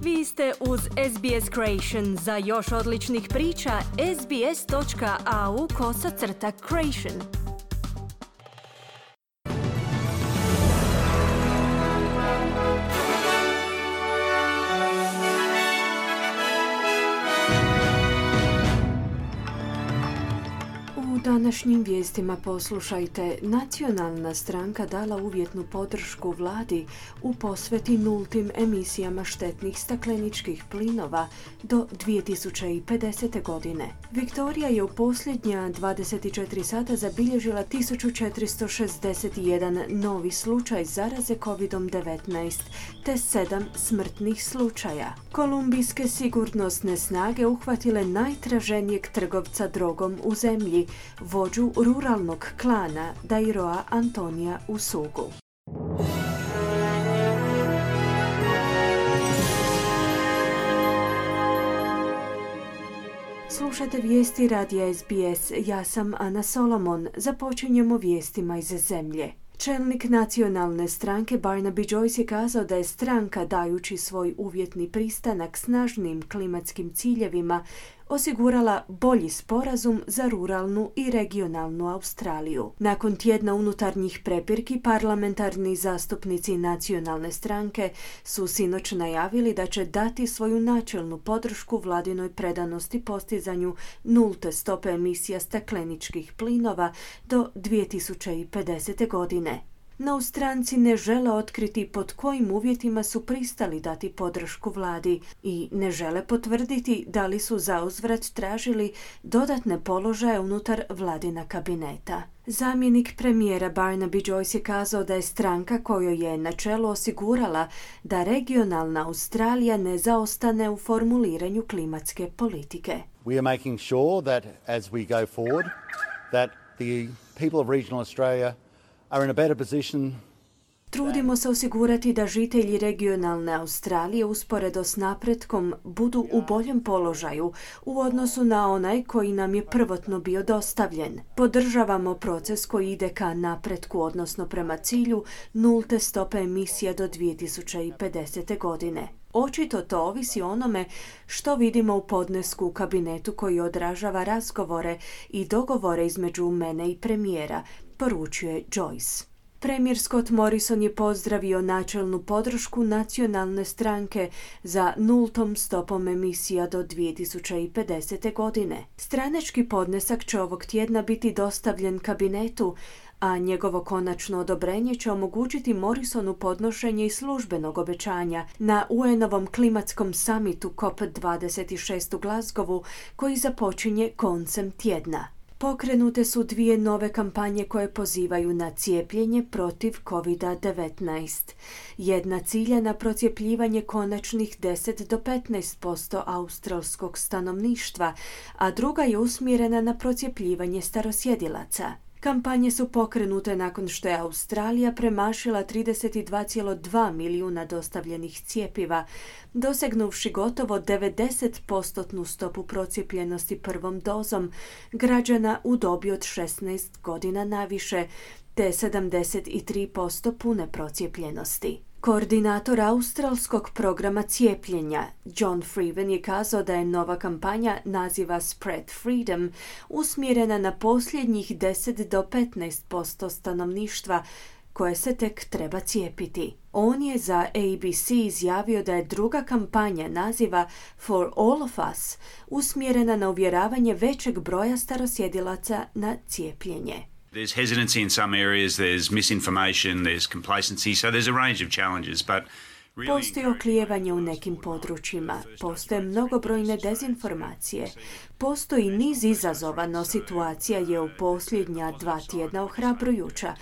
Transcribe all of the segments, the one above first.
Vi ste uz SBS Creation. Za još odličnih priča, sbs.au/creation. U današnjim vijestima poslušajte, nacionalna stranka dala uvjetnu podršku vladi u posveti nultim emisijama štetnih stakleničkih plinova do 2050. godine. Viktorija je u posljednja 24 sata zabilježila 1461 novi slučaj zaraze COVID-19 te 7 smrtnih slučaja. Kolumbijske sigurnosne snage uhvatile najtraženijeg trgovca drogom u zemlji, vođu ruralnog klana Dairoa Antonija Usugu. Slušate vijesti radija SBS. Ja sam Ana Solomon. Započinjemo vijestima iz zemlje. Čelnik nacionalne stranke Barnaby Joyce je kazao da je stranka, dajući svoj uvjetni pristanak snažnim klimatskim ciljevima, osigurala bolji sporazum za ruralnu i regionalnu Australiju. Nakon tjedna unutarnjih prepirki, parlamentarni zastupnici nacionalne stranke su sinoć najavili da će dati svoju načelnu podršku vladinoj predanosti postizanju nulte stope emisija stakleničkih plinova do 2050. godine. No stranci ne žele otkriti pod kojim uvjetima su pristali dati podršku vladi i ne žele potvrditi da li su zauzvrat tražili dodatne položaje unutar vladina kabineta. Zamjenik premijera Barnaby Joyce je kazao da je stranka kojoj je na čelu osigurala da regionalna Australija ne zaostane u formuliranju klimatske politike. We are making sure that as we go forward that the people of regional Australia are in a better position. Trudimo se osigurati da žitelji regionalne Australije usporedo s napretkom budu u boljem položaju u odnosu na onaj koji nam je prvotno bio dostavljen. Podržavamo proces koji ide ka napretku, odnosno prema cilju nulte stope emisija do 2050. godine. Očito to ovisi o onome što vidimo u podnesku u kabinetu koji odražava razgovore i dogovore između mene i premijera, poručuje Joyce. Premijer Scott Morrison je pozdravio načelnu podršku nacionalne stranke za nultom stopom emisija do 2050. godine. Stranački podnesak će ovog tjedna biti dostavljen kabinetu, a njegovo konačno odobrenje će omogućiti Morrisonu podnošenje i službenog obećanja na UN-ovom klimatskom samitu COP26 u Glasgowu koji započinje koncem tjedna. Pokrenute su 2 nove kampanje koje pozivaju na cijepljenje protiv COVID-19. Jedna cilja na procjepljivanje konačnih 10 do 15% australskog stanovništva, a druga je usmjerena na procjepljivanje starosjedilaca. Kampanje su pokrenute nakon što je Australija premašila 32,2 milijuna dostavljenih cjepiva, dosegnuvši gotovo 90% stopu procijepljenosti prvom dozom građana u dobi od 16 godina naviše, te 73% pune procijepljenosti. Koordinator australskog programa cijepljenja John Freeman je kazao da je nova kampanja naziva Spread Freedom usmjerena na posljednjih 10 do 15% stanovništva koje se tek treba cijepiti. On je za ABC izjavio da je druga kampanja naziva For All of Us usmjerena na uvjeravanje većeg broja starosjedilaca na cijepljenje. There's hesitancy in some areas, there's misinformation, there's complacency, so there's a range of challenges, but Postoji oklijevanje u nekim područjima, postoje mnogobrojne dezinformacije, postoji niz izazova, no situacija je u posljednja 2 tjedna ohrabrujuća.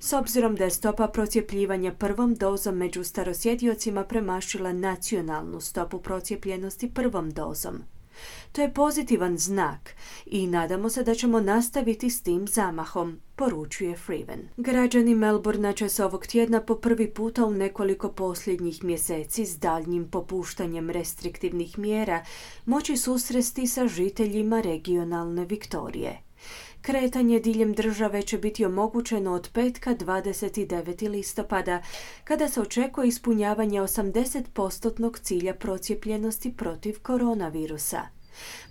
S obzirom da je stopa procjepljivanja prvom dozom među starosjediocima premašila nacionalnu stopu procijepljenosti prvom dozom. To je pozitivan znak i nadamo se da ćemo nastaviti s tim zamahom, poručuje Freeman. Građani Melbourna će se ovog tjedna po prvi puta u nekoliko posljednjih mjeseci s daljnjim popuštanjem restriktivnih mjera moći susresti sa žiteljima regionalne Viktorije. Kretanje diljem države će biti omogućeno od petka 29. listopada, kada se očekuje ispunjavanje 80% cilja procijepljenosti protiv koronavirusa.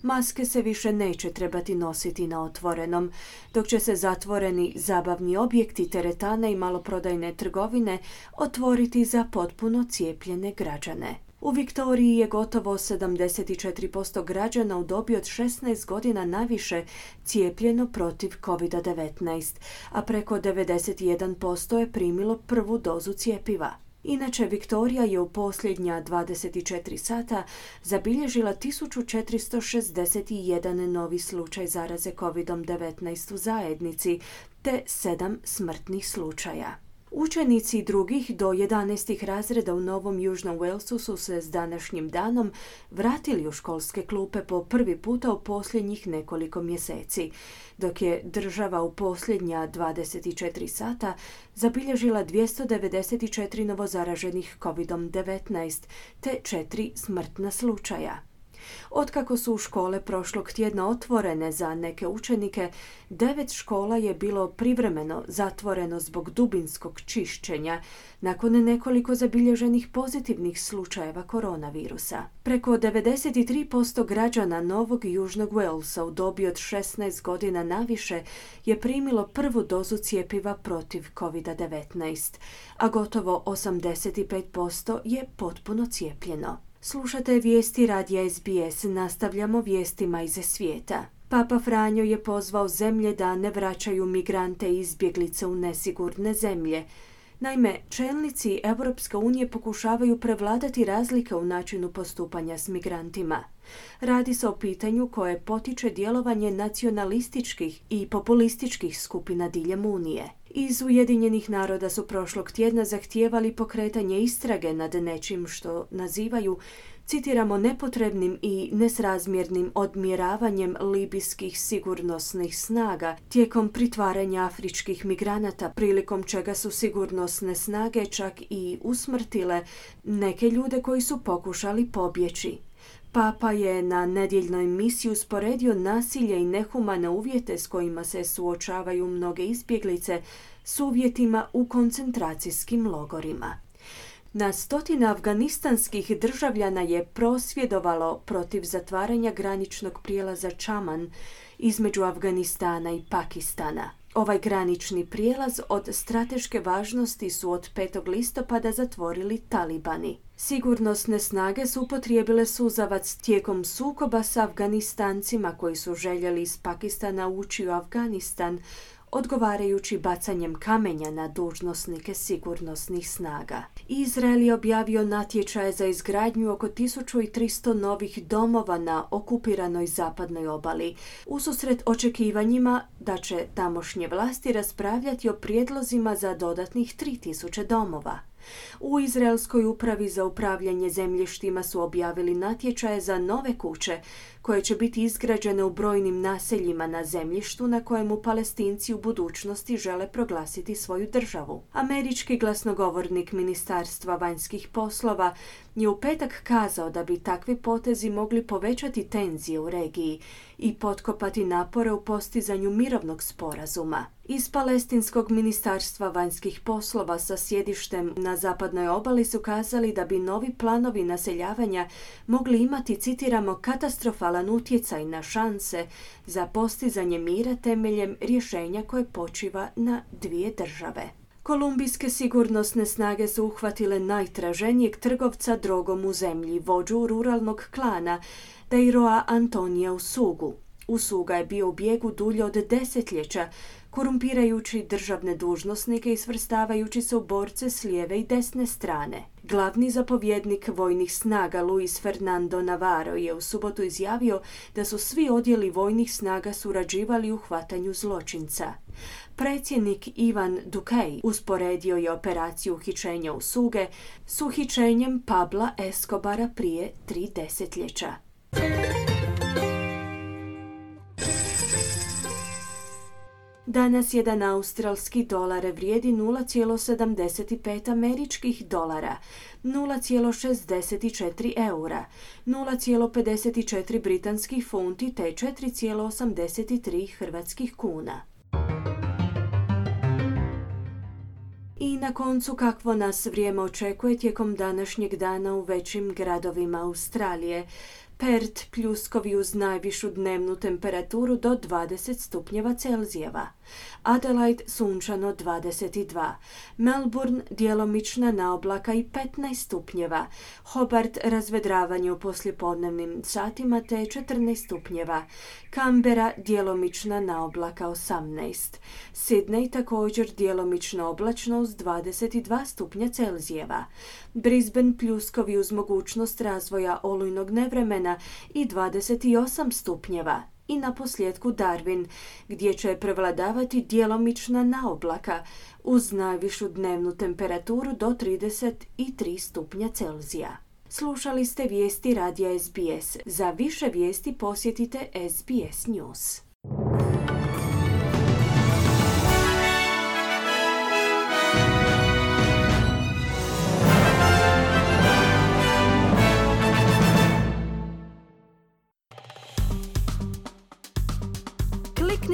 Maske se više neće trebati nositi na otvorenom, dok će se zatvoreni zabavni objekti, teretane i maloprodajne trgovine otvoriti za potpuno cijepljene građane. U Viktoriji je gotovo 74% građana u dobi od 16 godina naviše cijepljeno protiv COVID-19, a preko 91% je primilo prvu dozu cjepiva. Inače, Viktorija je u posljednja 24 sata zabilježila 1461 novi slučaj zaraze COVID-19 u zajednici, te 7 smrtnih slučaja. Učenici drugih do 11. razreda u Novom Južnom Walesu su se s današnjim danom vratili u školske klupe po prvi puta u posljednjih nekoliko mjeseci, dok je država u posljednja 24 sata zabilježila 294 novozaraženih COVID-19 te 4 smrtna slučaja. Otkako su škole prošlog tjedna otvorene za neke učenike, 9 škola je bilo privremeno zatvoreno zbog dubinskog čišćenja nakon nekoliko zabilježenih pozitivnih slučajeva koronavirusa. Preko 93% građana Novog Južnog Walesa u dobi od 16 godina naviše je primilo prvu dozu cjepiva protiv COVID-19, a gotovo 85% je potpuno cijepljeno. Slušate vijesti radija SBS, nastavljamo vijestima iz svijeta. Papa Franjo je pozvao zemlje da ne vraćaju migrante i izbjeglice u nesigurne zemlje. Naime, čelnici Europske unije pokušavaju prevladati razlike u načinu postupanja s migrantima. Radi se o pitanju koje potiče djelovanje nacionalističkih i populističkih skupina diljem Unije. Iz Ujedinjenih naroda su prošlog tjedna zahtijevali pokretanje istrage nad nečim što nazivaju, citiramo, nepotrebnim i nesrazmjernim odmjeravanjem libijskih sigurnosnih snaga tijekom pritvaranja afričkih migranata, prilikom čega su sigurnosne snage čak i usmrtile neke ljude koji su pokušali pobjeći. Papa je na nedjeljnoj misiji usporedio nasilje i nehumane uvjete s kojima se suočavaju mnoge izbjeglice s uvjetima u koncentracijskim logorima. Na stotine afganistanskih državljana je prosvjedovalo protiv zatvaranja graničnog prijelaza Čaman između Afganistana i Pakistana. Ovaj granični prijelaz od strateške važnosti su od 5. listopada zatvorili talibani. Sigurnosne snage su upotrijebile suzavac tijekom sukoba s Afganistancima koji su željeli iz Pakistana ući u Afganistan, odgovarajući bacanjem kamenja na dužnosnike sigurnosnih snaga. Izrael je objavio natječaje za izgradnju oko 1300 novih domova na okupiranoj zapadnoj obali, ususret očekivanjima da će tamošnje vlasti raspravljati o prijedlozima za dodatnih 3000 domova. U Izraelskoj upravi za upravljanje zemljištima su objavili natječaje za nove kuće koje će biti izgrađene u brojnim naseljima na zemljištu na kojemu Palestinci u budućnosti žele proglasiti svoju državu. Američki glasnogovornik Ministarstva vanjskih poslova je u petak kazao da bi takvi potezi mogli povećati tenzije u regiji i potkopati napore u postizanju mirovnog sporazuma. Iz Palestinskog ministarstva vanjskih poslova sa sjedištem na zapadnoj obali su kazali da bi novi planovi naseljavanja mogli imati, citiramo, katastrofalan utjecaj na šanse za postizanje mira temeljem rješenja koje počiva na dvije države. Kolumbijske sigurnosne snage su uhvatile najtraženijeg trgovca drogom u zemlji, vođu ruralnog klana Dairoa Antonija Usugu. Usuga je bio u bijegu dulje od desetljeća, korumpirajući državne dužnosnike i svrstavajući se u borce s lijeve i desne strane. Glavni zapovjednik vojnih snaga Luis Fernando Navarro je u subotu izjavio da su svi odjeli vojnih snaga surađivali u hvatanju zločinca. Predsjednik Ivan Duque usporedio je operaciju uhićenja Usuge s uhićenjem Pabla Escobara prije 3 desetljeća. Danas jedan australski dolar vrijedi 0,75 američkih dolara, 0,64 eura, 0,54 britanskih funti te 4,83 hrvatskih kuna. I na koncu, kakvo nas vrijeme očekuje tijekom današnjeg dana u većim gradovima Australije. Perth pljuskovi uz najvišu dnevnu temperaturu do 20 stupnjeva Celzijeva. Adelaide sunčano 22. Melbourne djelomična naoblaka i 15 stupnjeva. Hobart razvedravanje u poslijepodnevnim satima te 14 stupnjeva. Canberra djelomična naoblaka 18. Sydney također djelomično oblačno uz 22 stupnja Celzijeva. Brisbane pljuskovi uz mogućnost razvoja olujnog nevremena i 28 stupnjeva. I na posljedku Darwin, gdje će prevladavati djelomična naoblaka uz najvišu dnevnu temperaturu do 33 stupnja Celzija. Slušali ste vijesti radija SBS. Za više vijesti posjetite SBS News.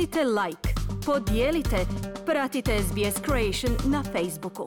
Kliknite like, podijelite, pratite SBS Creation na Facebooku.